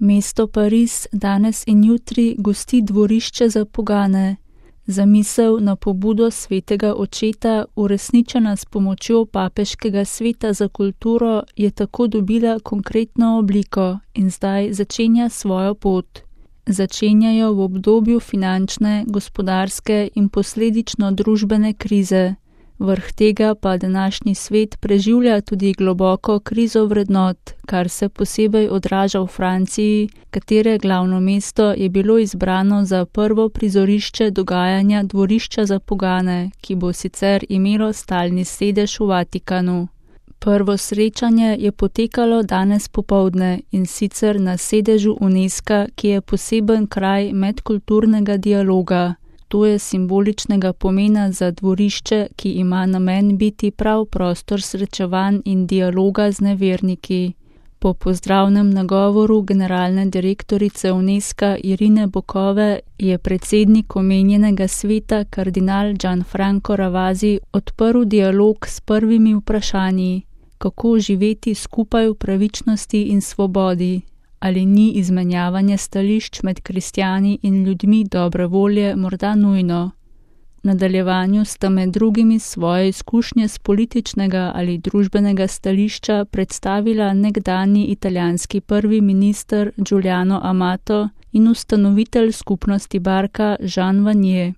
Mesto Pariz danes in jutri gosti dvorišče za pogane. Zamisel na pobudo svetega očeta, uresničena s pomočjo papeškega sveta za kulturo, je tako dobila konkretno obliko in zdaj začenja svojo pot. Začenjajo v obdobju finančne, gospodarske in posledično družbene krize. Vrh tega pa današnji svet preživlja tudi globoko krizo vrednot, kar se posebej odraža v Franciji, katere glavno mesto je bilo izbrano za prvo prizorišče dogajanja dvorišča za pogane, ki bo sicer imelo stalni sedež v Vatikanu. Prvo srečanje je potekalo danes popoldne in sicer na sedežu UNESCO, ki je poseben kraj medkulturnega dialoga. To je simboličnega pomena za dvorišče, ki ima namen biti prav prostor srečevanj in dialoga z neverniki. Po pozdravnem nagovoru generalne direktorice UNESCO Irine Bokove je predsednik omenjenega sveta kardinal Gianfranco Ravasi odprl dialog s prvimi vprašanji, kako živeti skupaj v pravičnosti in svobodi. Ali ni izmenjavanje stališč med kristjani in ljudmi dobre volje morda nujno? V nadaljevanju sta med drugimi svoje izkušnje z političnega ali družbenega stališča predstavila nekdanji italijanski prvi minister Giuliano Amato in ustanovitelj skupnosti Barka Jean Vanier.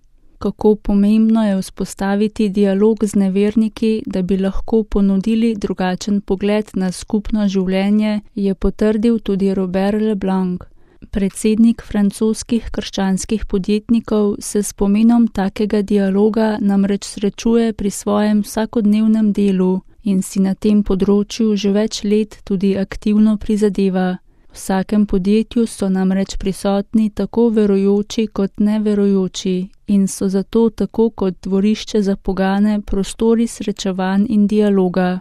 Kako pomembno je vzpostaviti dialog z neverniki, da bi lahko ponudili drugačen pogled na skupno življenje, je potrdil tudi Robert Leblanc. Predsednik francoskih krščanskih podjetnikov se s pomenom takega dialoga namreč srečuje pri svojem vsakodnevnem delu in si na tem področju že več let tudi aktivno prizadeva. V vsakem podjetju so namreč prisotni tako verujoči kot neverujoči in so zato tako kot dvorišče za pogane prostori srečevanj in dialoga.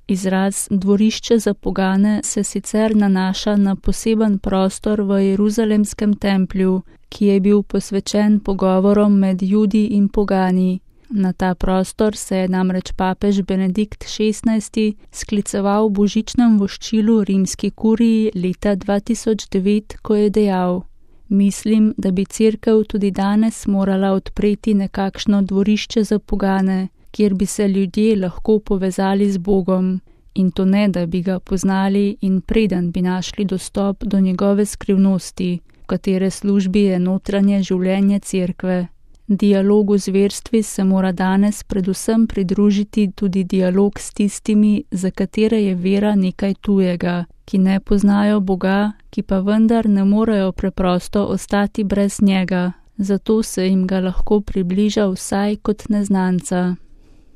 Izraz dvorišče za pogane se sicer nanaša na poseben prostor v Jeruzalemskem templju, ki je bil posvečen pogovorom med Judi in pogani. Na ta prostor se je namreč papež Benedikt XVI skliceval v božičnem voščilu rimski kuriji leta 2009, ko je dejal: Mislim, da bi cerkev tudi danes morala odpreti nekakšno dvorišče za pogane, kjer bi se ljudje lahko povezali z Bogom. In to ne, da bi ga poznali in preden bi našli dostop do njegove skrivnosti, v katere službi je notranje življenje cerkve. Dialogu z verstvi se mora danes predvsem pridružiti tudi dialog s tistimi, za katere je vera nekaj tujega, ki ne poznajo Boga, ki pa vendar ne morejo preprosto ostati brez njega, zato se jim ga lahko približa vsaj kot neznanca.